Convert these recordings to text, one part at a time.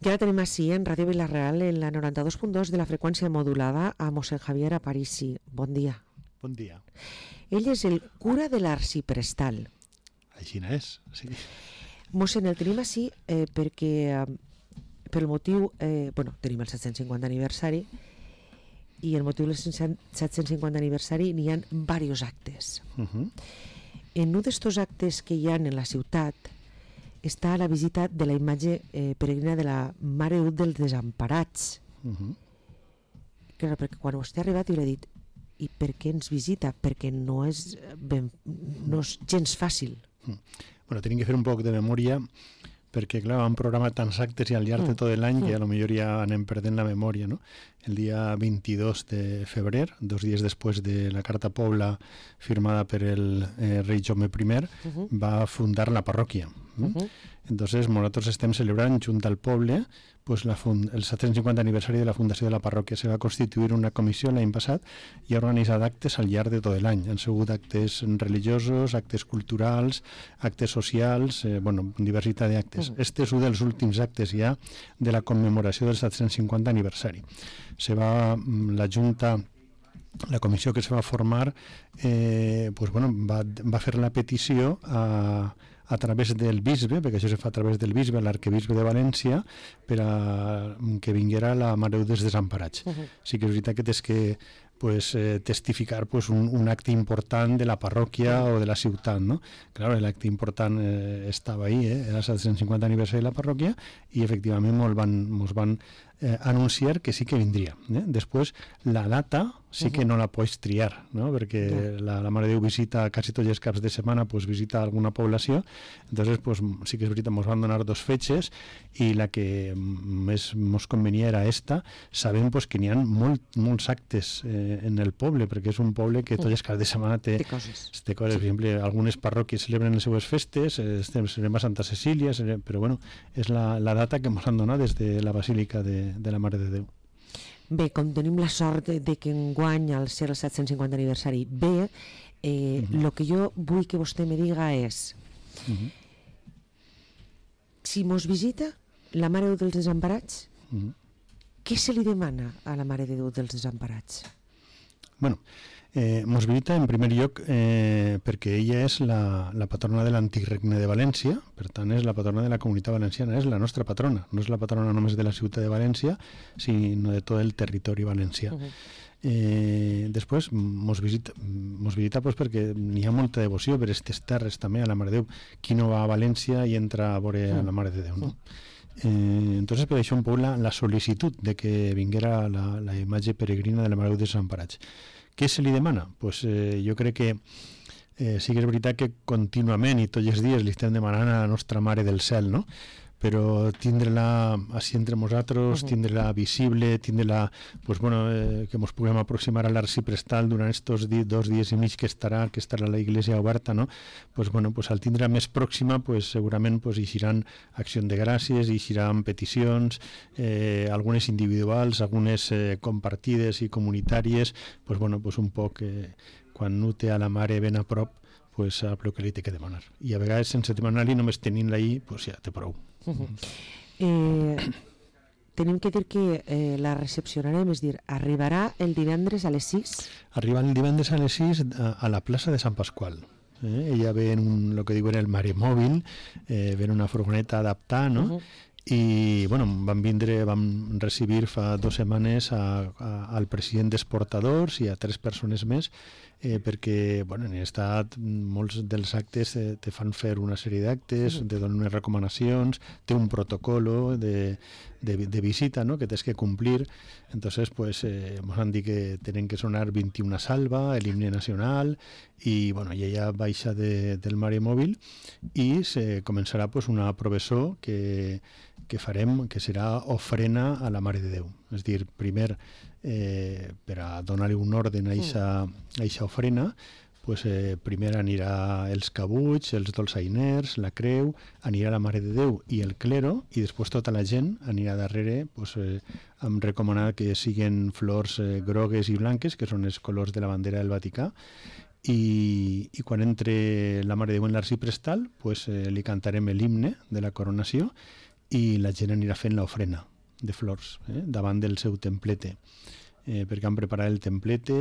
I ara tenim així en Ràdio Vila-real en la 92.2 de la freqüència modulada a mossèn Javier Aparici. Bon dia. Bon dia. Ell és el cura de l'Arxiprestal. Així és, sí. Mossèn, el tenim així perquè per el motiu, tenim el 750 aniversari i el motiu del 750 aniversari n'hi ha diversos actes. En un d'estos actes que hi ha en la ciutat està la visita de la imatge peregrina de la Mare de Déu dels Desemparats. Clar, perquè quan vostè ha arribat jo li he dit, i per què ens visita? Perquè no és gens fàcil. Bueno, tenim que fer un poc de memòria perquè, clar, vam programar tants actes i al llarg de tot l'any que a lo millor ja anem perdent la memòria, no? El dia 22 de febrer, 2 dies després de la Carta Pobla firmada per el rei Jaume I, va fundar la parròquia. Entonces, nosaltres estem celebrant junt al poble pues, el 750 aniversari de la fundació de la parròquia. Se va constituir una comissió l'any passat i ha organitzat actes al llarg de tot l'any. Han sigut actes religiosos, actes culturals, actes socials, diversitat d'actes. Este és un dels últims actes ja de la commemoració del 750 aniversari. La comissió que se va formar va fer la petició a través del bisbe, perquè això se fa a través del bisbe, l'arquebisbe de València, per a que vinguera la Mare de Déu dels Desemparats. Sí que és veritat que tens que testificar un acte important de la parròquia o de la ciutat, no? Claro, l'acte important estava ahí, era el 750 aniversari de la parròquia i efectivament mos van anunciar que sí que vindria. Després, la data sí que no la pots triar, no? Perquè la Mare de Déu visita quasi tots els caps de setmana, visita alguna població, entonces sí que és veritat, ens van donar 2 fetges i la que més ens convenia era esta, sabent que n'hi ha molts actes en el poble, perquè és un poble que tots els caps de setmana té coses. Per exemple, algunes parròquies celebren les seues festes, celebrem a Santa Cecília, però és la data que ens han donat des de la Basílica de la Mare de Déu. Bé, com tenim la sort de que enguany al ser el 750 aniversari el que jo vull que vostè me diga és si mos visita la Mare de Déu dels Desemparats, què se li demana a la Mare de Déu dels Desemparats? Bueno, mos visita en primer lloc perquè ella és la patrona de l'antic regne de València, per tant és la patrona de la comunitat valenciana, és la nostra patrona, no és la patrona només de la ciutat de València, sinó de tot el territori valencià. Després mos visita perquè n'hi ha molta devoció per aquestes terres també a la Mare de Déu. Qui no va a València i entra a veure a la Mare de Déu, no? Entonces per això un poc la sol·licitud de que vinguera la imatge peregrina de la Mare de Déu dels Desemparats. Què se li demana? Jo crec que sí que és veritat que contínuament i tots els dies li estem demanant a la nostra Mare del Cel, no? Però tindre-la així entre nosaltres, tindre-la visible, tindre-la, que ens puguem aproximar a l'Arxiprestal durant aquests 2 dies i mig que estarà la iglesia oberta, no? Al tindre-la més pròxima, segurament hi eixiran accions de gràcies, hi eixiran peticions, algunes individuals, algunes compartides i comunitàries, un poc quan no té a la Mare ben a prop, sap el que li té que demanar. I a vegades, sense demanar-li, només tenint-la ahí, ja té prou. Tenim que dir que la recepcionarem, és dir, arribarà el divendres a les 6? Arriba el divendres a les 6 a la plaça de Sant Pasqual. Ella ve en el que diuen el Maremòbil, ve en una furgoneta adaptada, no? I vam recibir fa 2 setmanes al president d'Exportadors i a 3 persones més perquè en estat molts dels actes te fan fer una sèrie d'actes, te donen unes recomanacions, té un protocolo de visita, no? Que tens que complir. Entonces ens han dit que tenen que sonar 21 salva, el himne nacional i ella baixa del Maremòbil i se començarà una professó que farem, que serà ofrena a la Mare de Déu. És dir, primer per a donar-li un orden a aquesta ofrena, primer anirà els cabuts, els dolçainers, la creu, anirà la Mare de Déu i el clero, i després tota la gent anirà darrere, hem recomanat que siguin flors grogues i blanques, que són els colors de la bandera del Vaticà, i quan entre la Mare de Déu en l'Arxiprestal li cantarem l'himne de la coronació i la gent anirà fent l'ofrena de flors davant del seu templete, perquè han preparat el templete.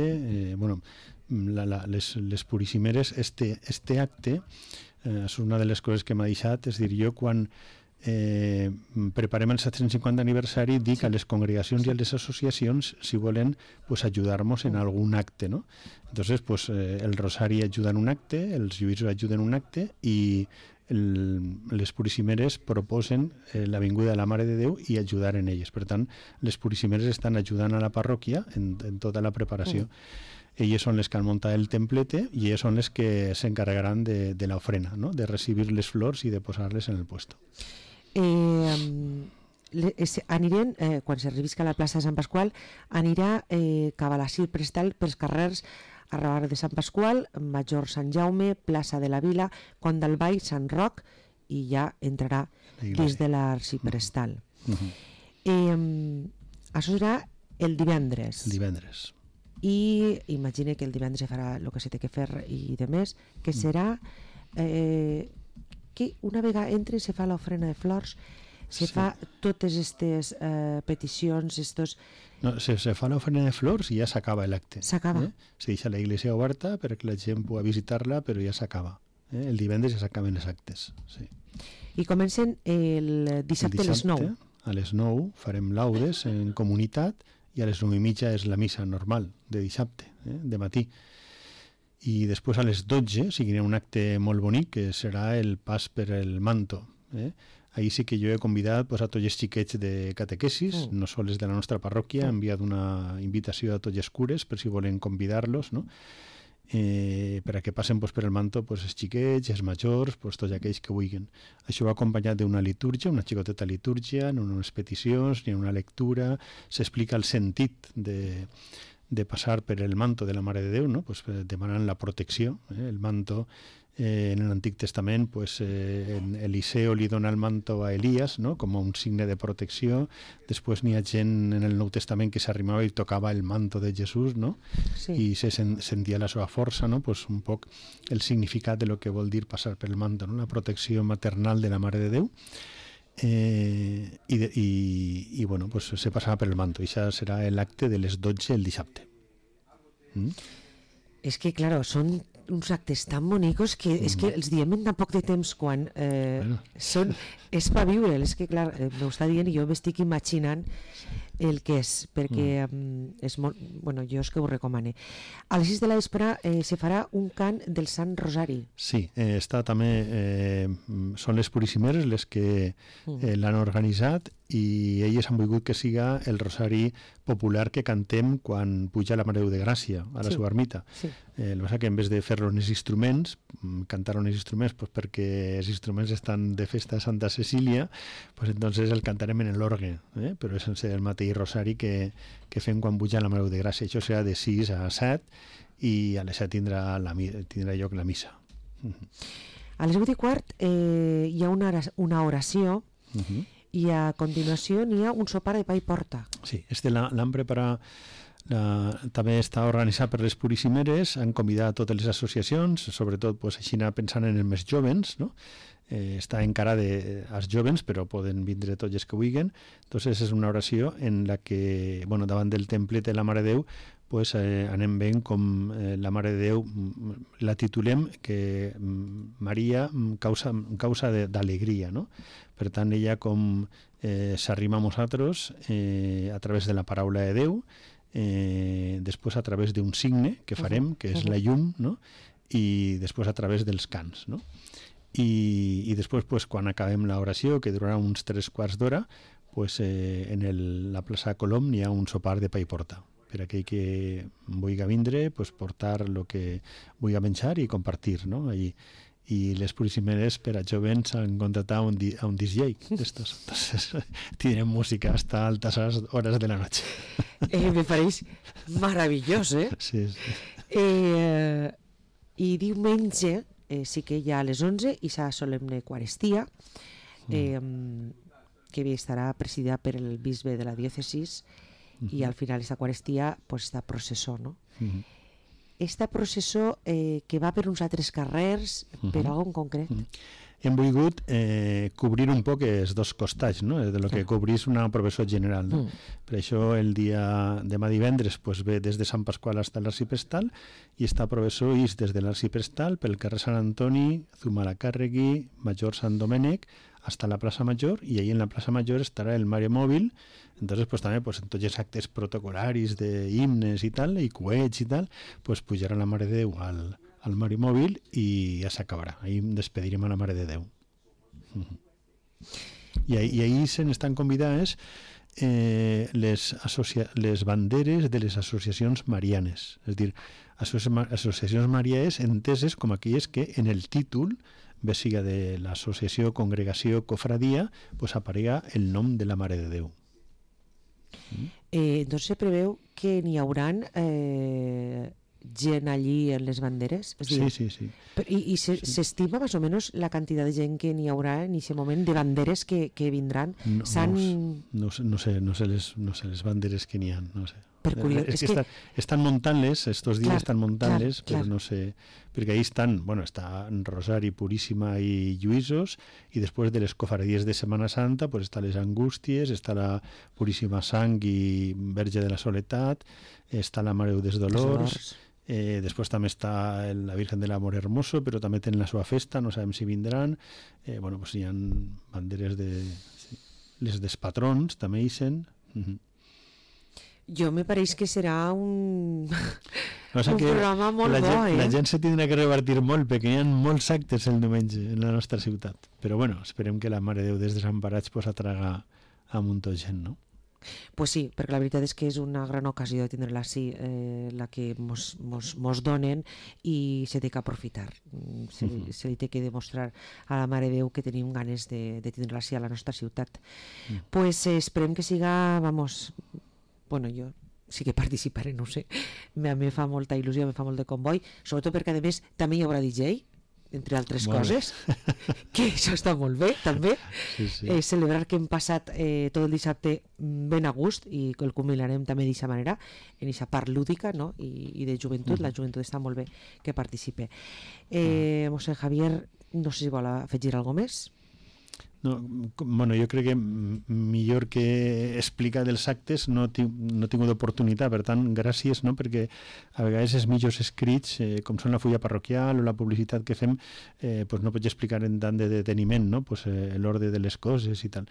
Les purissimeres, este acte és una de les coses que m'ha deixat, és dir, jo quan preparem el 750 aniversari dic a les congregacions i a les associacions si volen ajudar-nos en algun acte, no? Entonces el Rosari ajuda en un acte, els lluïsos ajuden en un acte i les purissimeres proposen la vinguda de la Mare de Déu i ajudar en elles. Per tant, les purissimeres estan ajudant a la parròquia en tota la preparació. Elles són les que han muntat el templete i elles són les que s'encarregaran de l'ofrena, no? De recibir les flors i de posar-les en el puesto. Anirem, quan s'arribi a la plaça de Sant Pasqual, anirà cap a la Cir Prestal pels carrers Arrabar de Sant Pasqual, Major Sant Jaume, plaça de la Vila, Pont del Vall, Sant Roc, i ja entrarà dins de l'arxiprestal. Això serà el divendres. Divendres. I imagine que el divendres se farà el que se té que fer i de més, que serà que una vegada entre se fa l'ofrena de flors, se fa totes aquestes peticions, No, se fa l'ofrena de flors i ja s'acaba l'acte. S'acaba. Se deixa la iglesia oberta perquè la gent pugui visitar-la, però ja s'acaba. El divendres ja s'acaben els actes. Sí. I comencen el dissabte a les 9. A les 9 farem laudes en comunitat i a les 9:30 és la missa normal de dissabte, de matí. I després a les 12 seguirà un acte molt bonic que serà el pas per el manto. Ahir sí que jo he convidat a tots els xiquets de catequesis, no sols de la nostra parròquia, he enviat una invitació a tots els cures per si volen convidar-los, no? Per a que passen per el manto els xiquets, els majors, tots aquells que vulguin. Això va acompanyat d'una litúrgia, una xicoteta litúrgia, en unes peticions, ni una lectura, s'explica el sentit de passar per el manto de la Mare de Déu, no? Demanant la protecció. El manto, en l'Antic Testament, Eliseo li dona el manto a Elias, no? Com un signe de protecció. Després n'hi ha gent en el Nou Testament que s'arrimava i tocava el manto de Jesús, no? Sí. I se sentia la seva força, no? Un poc el significat de lo que vol dir passar per el manto, no? La protecció maternal de la Mare de Déu. I bueno, se passava per el manto. I això serà l'acte de les 12 el dissabte. És que, claro, són uns actes tan bonicos que és que els diem en tan poc de temps quan és per viure. És que, clar, m'ho està dient i jo m'estic imaginant el que és, perquè és molt... Bueno, jo és que ho recomane. A les 6 de la vespre se farà un cant del Sant Rosari. Sí, està també... són les purissimeres les que l'han organitzat i elles han volgut que siga el Rosari popular que cantem quan puja la Mare de Déu de Gràcia a la seva ermita. El que passa que en vez de fer-lo en els instruments, cantar-ho en els instruments perquè els instruments estan de festa a Santa Cecília, entonces el cantarem en l'orgue, però és sense el mateix Rosari que fem quan puja la Mare de Déu de Gràcia. Això serà de 6 a 7 i a les 7 tindrà lloc la missa. A les 8:15 hi ha una oració i a continuació n'hi ha un sopar de pa i porta. Sí, l'han preparat, també està organitzat per les purissimeres, han convidat totes les associacions, sobretot així pensant en els més jovens, no? Està encara als jovens, però poden vindre tots els que vulguin. Entonces és una oració en la que, davant del temple de la Mare de Déu, anem veient com la Mare de Déu la titulem que Maria causa d'alegria, no? Per tant, ella com s'arrima a nosaltres a través de la paraula de Déu, després a través d'un signe que farem, que és la llum, no? I després a través dels cants, no? I després, quan acabem l'oració, que durarà uns 3/4 d'hora, en la plaça Colom n'hi ha un sopar de pa i porta. Per aquell que vulgui vindre, portar el que vulgui menjar i compartir, no? Allí. I les purissimeres per a jovens han contratat a un DJ d'estos. Entonces tindrem música hasta altas horas de la noche. Me pareix meravellós, Sí. I diumenge sí que hi ha a les 11 i s'ha solemne Eucaristia, que estarà presidida per el bisbe de la diòcesis, i al final aquesta Eucaristia està processó, no? Esta processó que va per uns altres carrers, per algo en concret? hem volgut cobrir un poc els dos costats, no? De lo que cobrís una professor general. No? Per això el dia demà divendres pues, ve des de Sant Pasqual fins a l'Arxiprestal i està professor is des de l'Arxiprestal pel carrer Sant Antoni, Zumalacárregui, Major Sant Domènec, hasta la Plaza Mayor, y ahí en la Plaza Mayor estará el Mare Móvil. Entonces, pues también, pues en tots els actes protocolaris de himnes i tal, i coets i tal, pues pujarà la Mare de Déu al Mare Móvil i ja s'acabarà. Ahí despedirem a la Mare de Déu. I ahí se n'estan convidades les banderes de les associacions marianes. És a dir, associacions marianes enteses com aquelles que en el títol, bé siga de l'associació, congregació, cofradia, pues aparega el nom de la Mare de Déu. Doncs se preveu que n'hi haurà gent allí en les banderes? És dir, sí. I s'estima més o menys la quantitat de gent que n'hi haurà en aquest moment de banderes que vindran? No sé les banderes que n'hi ha, no sé. És que estan muntant-les, estos dies estan muntant-les, però no sé, perquè ahí estan, està Rosari, Puríssima i Lluïsos, i després de les cofradies de Setmana Santa pues està les Angústies, està la Puríssima Sang i Verge de la Soledat, està la Mare dels Dolors, després també està la Virgen de l'Amor Hermoso, però també tenen la seva festa, no sabem si vindran, pues hi ha banderes de... les dels patrons també hi són. Jo me pareix que serà un programa molt bo. La gent se tindrà que repartir molt, perquè hi ha molts actes el diumenge en la nostra ciutat. Però esperem que la Mare de Déu des Desemparats atraga a un munt de gent, no? Pues sí, perquè la veritat és que és una gran ocasió de tindre-la així, la que mos donen, i se té que aprofitar. Se li té que demostrar a la Mare de Déu que tenim ganes de tindre-la així a la nostra ciutat. Pues esperem que siga, jo sí que participaré, no ho sé. A mi fa molta il·lusió, me fa molt de comboi, sobretot perquè a més també hi haurà DJ, entre altres coses, que això està molt bé també. Celebrar que hem passat tot el dissabte ben a gust i que el culminarem també d'aquesta manera, en aquesta part lúdica, no? I de joventut. La joventut està molt bé que participe. Mossèn Javier, no sé si vol afegir alguna cosa més. No, jo crec que millor que explicar dels actes no he tingut oportunitat, per tant, gràcies, no? Perquè a vegades els mitjos escrits, com són la fulla parroquial o la publicitat que fem, no pots explicar en tant de deteniment, no? L'ordre de les coses i tal.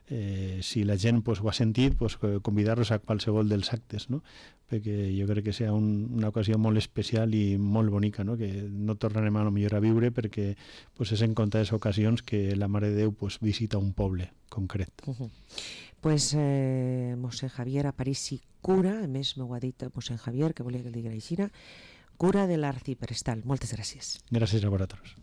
Si la gent ho ha sentit, convidar-los a qualsevol dels actes, no? Perquè jo crec que serà una ocasió molt especial i molt bonica, no? Que no tornarem a lo millor a viure, perquè és en comptes ocasions que la Mare de Déu visita un poble concret. Pues mossèn Javier Aparici Cura, a més m'ho ha dit mossèn Javier, que volia que el digui així, cura de l'Arxiprestal. Moltes gràcies. Gràcies a vosaltres.